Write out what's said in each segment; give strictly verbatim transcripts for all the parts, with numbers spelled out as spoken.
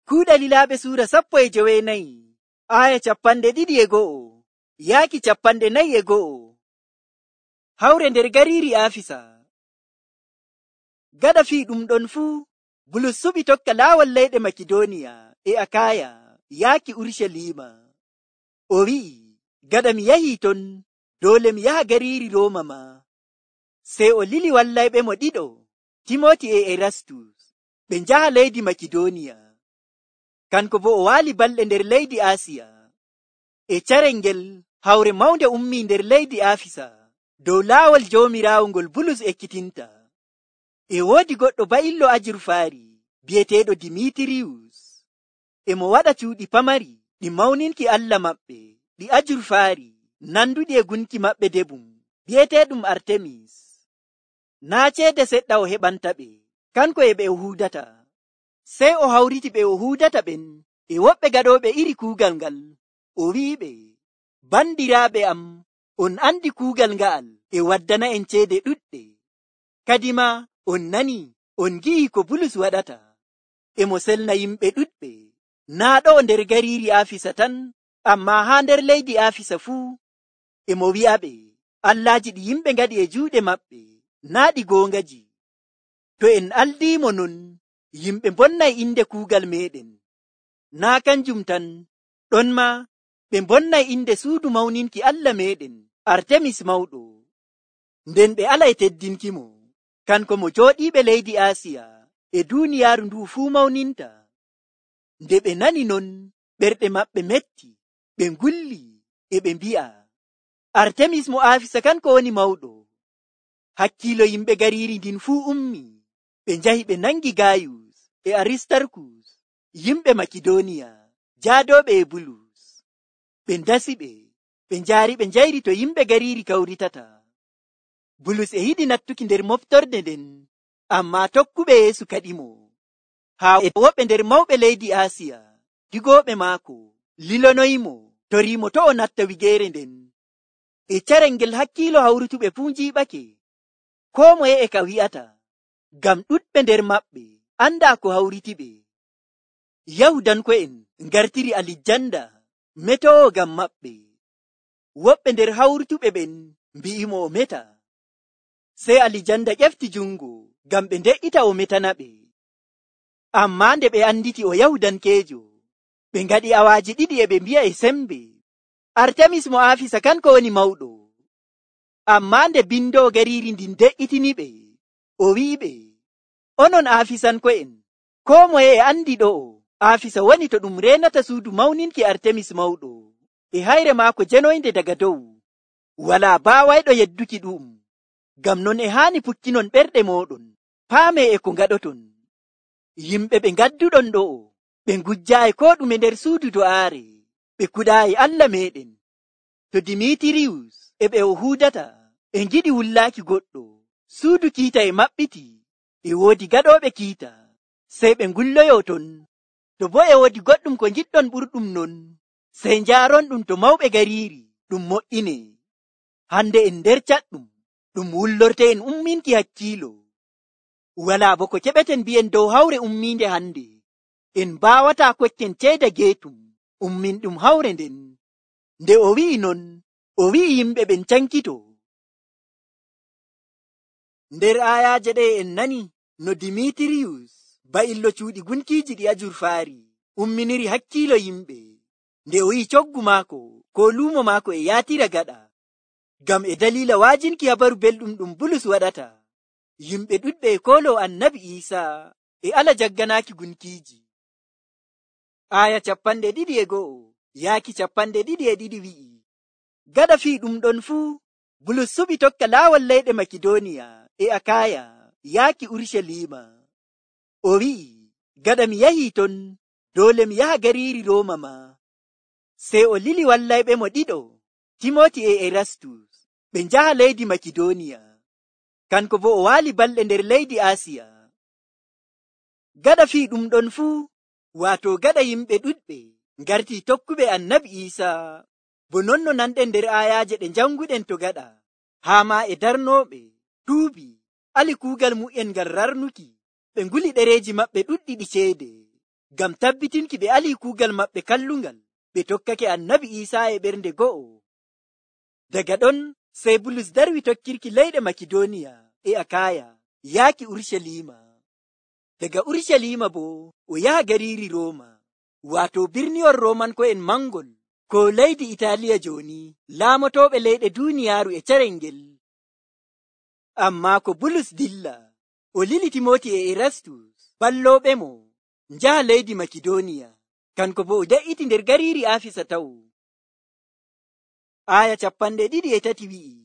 Kuuɗe Lilaaɓe suura sappo e jowenayi, aya capanɗe ɗiɗi e go'o, yaaki capanɗe nayi e go'o. Hawre nder gariiri Aafisa. Gaɗa fii ɗum ɗon fuu, Bulus suɓi tokka laawol leyɗe Makidooniya e Akaaya yaaki Urucaliima. O wi'i, gaɗa mi yahii ton, doole mi yaha gariiri Rooma ma. Sey o lili wallayɓemo ɗiɗo, Timooti e Erastus, ɓe njaha leydi Makidooniya. Kanko bo o waali balɗe nder leydi Aasiya. E carel ngel hawre mawnde ummii nder leydi Aafisa dow laawol Joomiraawo ngol Bulus ekkitinta. E woodi goɗɗo ba'illo ajurfaari bi'eteeɗo Dimitiriyus. E mo waɗa cuuɗi pamari ɗi mawninki Allah maɓɓe ɗi ajurfaari nanduɗi e gunki maɓɓe debum bi'eteeɗum Artemis. Naa ceede seɗɗa o heɓanta ɓe, kanko e ɓe o huudata. Sey o hawriti ɓe o huudata ɓen e woɓɓe gaɗooɓe iri kuugal ngal. O wi'iɓe, bandiraaɓe am, on andi kuugal nga'al e waddana en ceede ɗuɗɗe. Kadima on nani, on ngi'i ko Bulus waɗata. E mo selna yimɓe ɗuɗɓe, naa ɗo nder gariiri Aafisa tan, ammaa haa nder leydi Aafisa fuu. E mo wi'aɓe, allaaji ɗi yimɓe ngaɗi e juuɗe maɓɓe, naa ɗi goongaji. To en aldiimo non, yimɓe mbonnay inde kuugal meeɗen. Naa kanjum tan, ɗon ma ɓe mbonnay inde suudu mawninki Allah meeɗen, Artemis mawɗo. Nden ɓe alay teddinkimo, kanko mo jooɗiiɓe leydi Aasiya e duuniyaaru ndu fuu mawninta. Nde ɓe nani non, ɓerɗe maɓɓe metti, ɓe ngulli e ɓe mbi'a, Artemis mo Aafisa kanko woni mawɗo. Hakkiilo yimɓe gariiri ndin fuu ummi, ɓe njahi ɓe nangi Gayus e Aristarkus, yimɓe Makidooniya, jaadooɓe e Bulus. Ɓe ndasi ɓe, ɓe njaari ɓe njayri to yimɓe gariiri kawritata. Bulus e yiɗi nattuki nder moftorde nden, ammaa tokkuɓe Yeesu kaɗimo. Haa e woɓɓe nder mawɓe leydi Aasiya, digooɓe maako, lilonoyimo, toriimo to o natta wigeere nden. E carel ngel hakkiilo hawrutuɓe fuu njiiɓake, koo moye e ka wi'ata, ngam ɗuɗɓe nder maɓɓe andaa ko hawritiɓe. Yahudanko'en ngartiri Alijanda metowo ngam maɓɓe. Woɓɓe nder hawrutuɓe ɓen mbi'imo o meta. Sey Alijanda ƴefti jungo ngam ɓe nde'ita o metana ɓe. Ammaa nde ɓe anditi o Yahudankeejo, ɓe ngaɗi awaaji ɗiɗi e ɓe mbi'a e sembe, Artemis mo Aafisa kanko woni mawɗo. Ammaa nde bindoo gariiri ndin de'itini ɓe, o wi'iɓe, onon Aafisanko'en, koo moye e andi ɗo'o Aafisa woni to ɗum reenata suudu mawninki Artemis mawɗo, e hayre maako jenoynde daga dow. Walaa baawayɗo yedduki ɗum. Ngam non e haani pukkinon ɓerɗe mooɗon, paamee e ko ngaɗoton. Yimɓe ɓe ngadduɗon ɗo'o, ɓe ngujjaayi koo ɗume nder suudu do'aare, ɓe kuɗaayi Allah meeɗen. To Dimitiriyus e ɓe o huudata, ɓe ngiɗi wullaaki goɗɗo, suudu kiita e maɓɓiti, e woodi gaɗooɓe kiita, sey ɓe ngulloyoo ton. To boo e woodi goɗɗum ko ngiɗɗon ɓurɗum non, sey njaaron ɗum to mawɓe gariiri, ɗum moƴƴine. Hande en nder caɗɗum, ɗum wullorte en umminki hakkiilo. Walaa bo ko keɓeten mbi'en dow hawre ummiinde hande, en mbaawataa kokken ceeda geetum ummin ɗum hawre nden. Nde o wi'i non, o wi'i yimɓe ɓen cankito. Nder aayaaje ɗe en nani no Dimitiriyus ba'illo cuuɗi gunkiiji ɗi ajurfaari umminiri hakkiilo yimɓe, nde o yi'i coggu maako ko luumo maako e yaatira gaɗa, ngam e daliila waajinki habaru belɗum ɗum Bulus waɗata. Yimɓe ɗuɗɓe e kooloo Annabi Iisaa e ala jagganaaki gunkiiji. Aaya capanɗe ɗiɗi e go'o yaaki capanɗe ɗiɗi e ɗiɗi wi'i, gaɗa fii ɗum ɗon fuu, Bulus suɓi tokka laawol leyɗe Makidooniya e Akaaya yaaki Urucaliima. O wi'i, gaɗa mi yahii ton, doole mi yaha gariiri Rooma ma. Sey o lili wallayɓemo ɗiɗo, Timooti e Erastus, ɓe njaha leydi Makidooniya. Kanko bo o waali balɗe nder leydi Aasiya. Gaɗa fii ɗum ɗon fuu, waato gaɗa yimɓe ɗuɗɓe ngartii tokkuɓe Annabi Iisaa, bo non no nanɗen nder aayaaje ɗe njanguɗen to gaɗa, haa ma e darnooɓe, tuubi, ali kuugal mu'en ngal rarnuki, ɓe nguli ɗereeji maɓɓe ɗuɗɗi ɗi ceede. ngam tabbitinki ɓe alii kuugal maɓɓe kallungal, ɓe tokkake annabi Iisaa e ɓernde go'o. Daga ɗon sey Bulus darwi tokkirki leyɗe Makidooniya e Akaaya yaaki Urucaliima. Daga Urucaliima boo o yaha gariiri Rooma, waato birniwol Roomanko'en mangol, ko leydi Itaaliya jooni, laamotooɓe leyɗe duuniyaaru e carel ngel. Ammaa ko Bulus dilla, o lili Timooti e Erastus, ballooɓe mo, njaha leydi Makidooniya, kanko boo o de'iti nder gariiri Aafisa taw. Aaya capanɗe ɗiɗi e tati wi'i,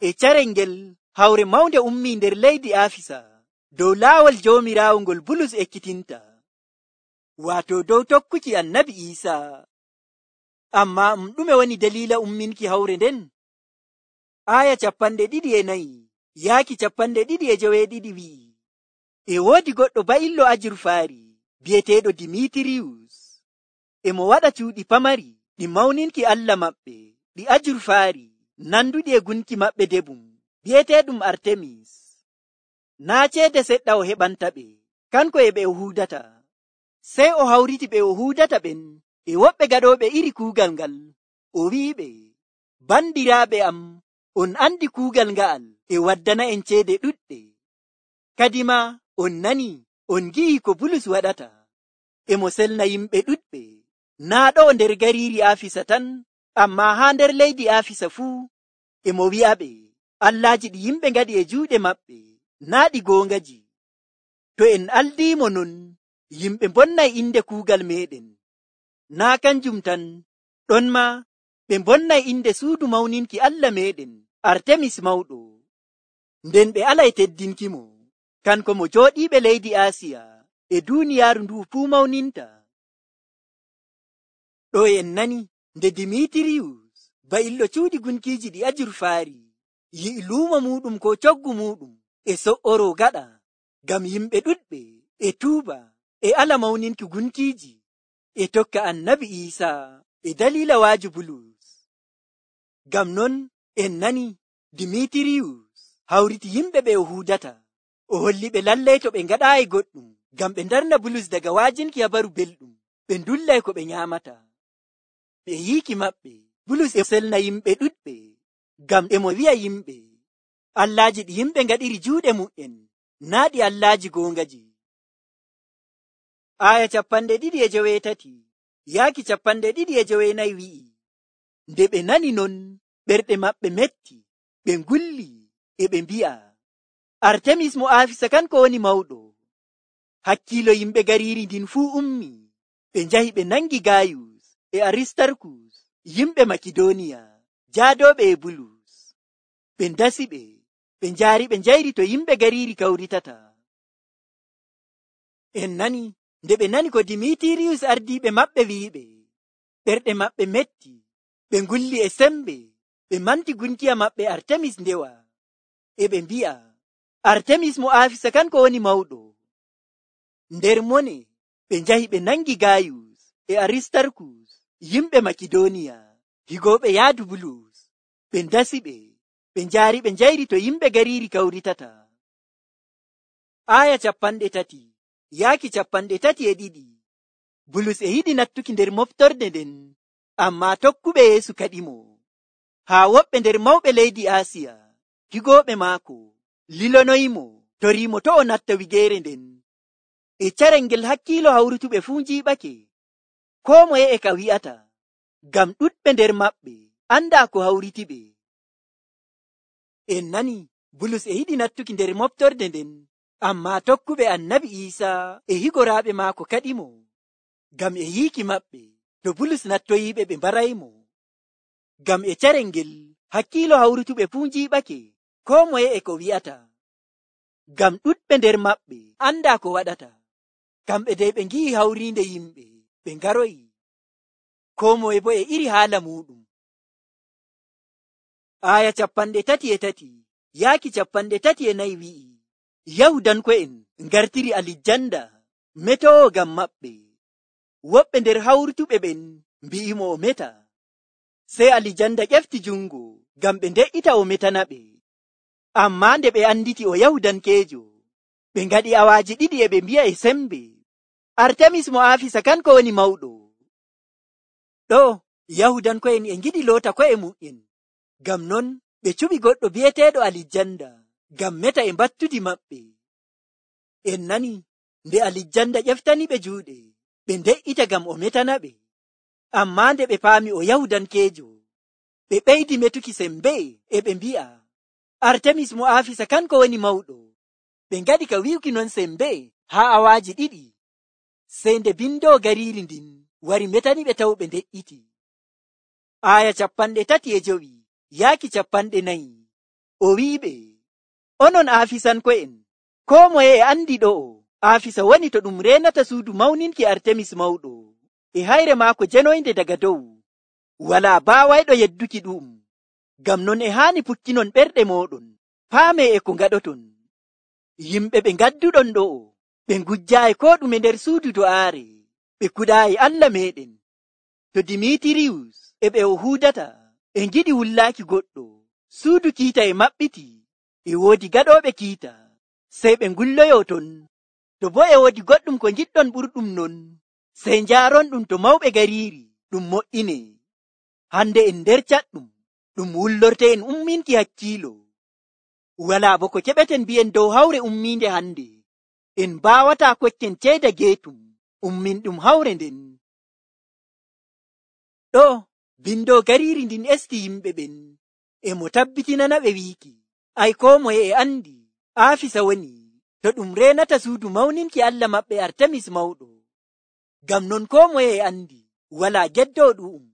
e carel ngel hawre mawnde ummii nder leydi Aafisa, dow laawol Joomiraawo ngol Bulus ekkitinta, waato dow tokkuki annabi Iisaa. Ammaa um ɗume woni daliila umminki hawre nden? Aaya capanɗe ɗiɗi e nayi yaaki capanɗe ɗiɗi e joweeɗiɗi wi'i, e woodi goɗɗo ba'illo ajurfaari bi'eteeɗo Dimitiriyus, e mo waɗa cuuɗi pamari ɗi mawninki Allah maɓɓe ɗi ajurfaari nanduɗi e gunki maɓɓe debum bi'eteeɗum Artemis. Naa ceede seɗɗa o heɓanta ɓe, kanko e ɓe o huudata. Sey o hawriti ɓe o huudata ɓen e woɓɓe gaɗooɓe iri kuugal ngal, o wi'iɓe, bandiraaɓe am, on andi kuugal nga'al e waddana en ceede ɗuɗɗe. Kadima on nani, on gi'i ko Bulus waɗata, e mo selna yimɓe ɗuɗɓe, naa ɗo nder gariiri Aafisa tan, ammaa haa nder leydi Aafisa fuu, e mo wi'aɓe allaaji ɗi yimɓe ngaɗi e juuɗe maɓɓe naa ɗi goongaji. To en aldiimo non, yimɓe mbonnay inde kuugal meeɗen. Naa kanjum tan, ɗon ma ɓe mbonnay inde suudu mawninki Allah meeɗen Artemis mawɗo, nden ɓe alay teddinki mo, kanko mo jooɗiiɓe leydi Aasiya e duuniyaaru ndu fuu mawninta. Ɗo en nani nde Dimitiriyus ba'illo cuuɗi gunkiiji ɗi ajurfaari yi'i luumo muuɗum ko coggu muuɗum e so'oro gaɗa, ngam yimɓe ɗuɗɓe e tuuba e ala mawninki gunkiiji e tokka annabi Iisaa e daliila waaju Bulus. Ngam non en nani Dimitiriyus hawriti yimɓe ɓe o huudata, o holli ɓe lallay to ɓe ngaɗaayi goɗɗum ngam ɓe ndarna Bulus daga waajinki habaru belɗum, ɓe ndullay ko ɓe nyaamata. Ɓe yiiki maɓɓe, Bulus e selna yimɓe ɗuɗɓe, ngam e mo wi'a yimɓe allaaji ɗi yimɓe ngaɗiri juuɗe mu'en naa ɗi allaaji goongaji. Aaya capanɗe ɗiɗi e joweetati yaaki capanɗe ɗiɗi e joweenayi wi'i, nde ɓe nani non, ɓerɗe maɓɓe metti, ɓe ngulli e ɓe mbi'a, Artemis mo Aafisa kanko woni mawɗo. Hakkiilo yimɓe gariiri ndin fuu ummi, ɓe njahi ɓe nangi Gayus e Aristarkus, yimɓe Makidooniya jaadooɓe e Bulus. Ɓe ndasi ɓe, ɓe njaari ɓe njayri to yimɓe gariiri kawritata. En nani nde ɓe nani ko Dimitiriyus ardiiɓe maɓɓe wi'iɓe, ɓerɗe maɓɓe metti, ɓe ngulli e sembe, ɓe manti gunkiya maɓɓe Artemis ndewa, e ɓe mbi'a, Artemis mo Aafisa kanko woni mawɗo. Nder mone ɓe njahi ɓe nangi Gayus e Aristarkus, yimɓe Makidooniya higooɓe yaadu Bulus. Ɓe ndasi ɓe, ɓe njaari ɓe njayri to yimɓe gariiri kawritata. Aaya capanɗe tati yaaki capanɗe tati e ɗiɗi. Bulus e yiɗi nattuki nder moftorde nden, ammaa tokkuɓe Yeesu kaɗimo, haa woɓɓe nder mawɓe leydi Aasiya higooɓe maako lilonoyimo toriimo to o natta wigeere nden. E carel ngel hakkiilo hawrutuɓe fuu njiiɓake, koo moye e ka wi'ata, ngam ɗuɗɓe nder maɓɓe andaa ko hawriti ɓe. En nani Bulus e yiɗi nattuki nder moftorde nden, ammaa tokkuɓe annabi Iisaa e higoraaɓe maako kaɗimo, ngam e yiiki maɓɓe to Bulus nattoyiiɓe ɓe mbaraymo. Ngam e carel ngel hakkiilo hawrutuɓe fuu njiiɓake, koo moye e ko wi'ata, ngam ɗuɗɓe nder maɓɓe andaa ko waɗata. Kamɓe dey ɓe ngi'i hawriinde yimɓe, ɓe ngaroyi, koo moye bo e iri haala muɗum. Aaya capanɗe tati e tati yaaki capanɗe tati e nayi wi'i, Yahudanko'en ngartiri Alijanda metowo ngam maɓɓe. Woɓɓe nder hawrutuɓe ɓen mbi'imo o meta. Sey Alijanda ƴefti jungo ngam ɓe nde'ita o metana ɓe. Ammaa nde ɓe anditi o Yahudankeejo, ɓe ngaɗi awaaji ɗiɗi e ɓe mbi'a e sembe, Artemis mo Afisa kanko woni mawɗo. Ɗo Yahudanko'en e ngiɗi loota ko'e mu'en, ngam non ɓe cuɓi goɗɗo bi'eteeɗo Alijanda ngam meta e mbattudi maɓɓe. En nani nde Alijanda ƴeftaniɓe juuɗe ɓe nde'ita ngam o metana ɓe, ammaa nde ɓe paami o Yahudankeejo, ɓe ɓeydi metuki sembe e ɓe mbi'a Artemis mo Afisa kanko woni mawɗo. Ɓe ngaɗi ka wi'uki non sembe haa awaaji ɗiɗi, sey nde bindoo gariiri ndin wari metaniɓe taw ɓe nde'iti. Aya capanɗe tati e jowi yaaki capanɗe nayi, o wi'iɓe, onon Afisanko'en, koo moye e andi ɗo'o Afisa woni to ɗum reenata suudu mawninki Artemis mawɗo e hayre maako jenoynde daga dow. Walaa baawayɗo yedduki ɗum, ngam non e haani pukkinon ɓerɗe mooɗon, paamee e ko ngaɗoton. Yimɓe ɓe ngadduɗon ɗo'o ɓe ngujjaayi koo ɗume nder suudu do'aare, ɓe kuɗaayi Allah meeɗen. To Dimitiriyus e ɓe o huudata e ngiɗi wullaaki goɗɗo, suudu kiita e maɓɓiti, e woodi gaɗooɓe kiita, sey ɓe ngulloyoo ton. To boo e woodi goɗɗum ko ngiɗɗon ɓurɗum non, sey njaaronɗum to mawɓe gariiri ɗum mo'inee. Hande en nder caɗɗum ɗum wullorte en umminki hakkiilo. Walaa bo ko keɓeten mbi'en dow hawre ummiinde hande, en mbaawataa kokken ceeda geetum ummin ɗum hawre nden. Ɗo bindoo gariiri ndin esti yimɓe ɓen e mo tabbitinana ɓe wiiki, ay koo moye e andi Afisa woni to ɗum reenata suudu mawninki Allah maɓɓe Artemis mawɗo. Ngam non koo moye e andi walaa geddoo ɗu'um.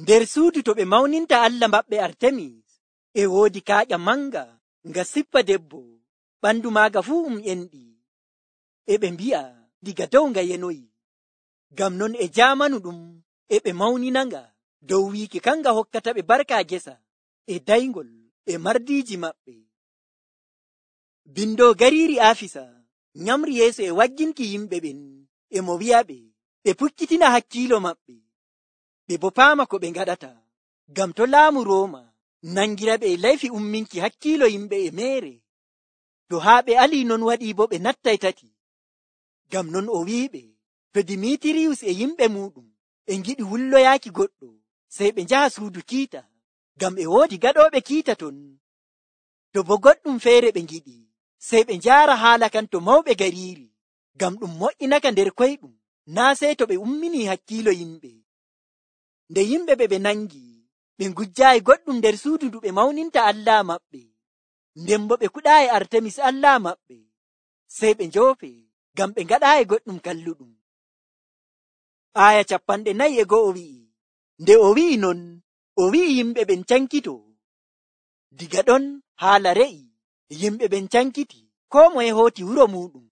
Nder suudu to ɓe mawninta Allah maɓɓe Artemis e woodi kaaƴa manga nga sippa debbo, ɓandu maaga fuu um enɗi, e ɓe mbi'a diga dow nga yenoyi. Ngam non e jaamanu ɗum e ɓe mawninanga dow wiiki kanga hokkata ɓe barka gesa e daygol e mardiiji maɓɓe. Bindoo gariiri Afisa nyamri yeeso e wagginki yimɓe ɓen e mo wi'aɓe ɓe pukkitina hakkiilo maɓɓe, ɓe bo paama ko ɓe ngaɗata, ngam to laamu Rooma nangira ɓe e laifi umminki hakkiilo yimɓe e meere. To haa ɓe alii non waɗii bo ɓe nattay tati. Ngam non o wi'iɓe to Dimitiriyus e yimɓe muɗum e ngiɗi wulloyaaki goɗɗo, sey ɓe njaha suudu kiita, ngam e woodi gaɗooɓe kiita ton. To bo goɗɗum feere ɓe ngiɗi, sey ɓe njaara haala kan to mawɓe gariiri, ngam ɗum mo'inaka nder koyɗum, naa sey to ɓe umminii hakkiilo yimɓe. Nde yimɓe ɓe ɓe nangi, ɓe ngujjaayi goɗɗum nder suudu ndu ɓe mawninta Allah maɓɓe, nden bo ɓe kuɗaayi Artemis Allah maɓɓe, sey ɓe njoofe, ngam ɓe ngaɗaayi goɗɗum kalluɗum. Aya capanɗe nayi e go'o wi'i, nde o wi'i non, o wi'i yimɓe ɓen cankito. Diga ɗon haala re'i, yimɓe ɓen cankiti, koo moye hooti wuro muɗum.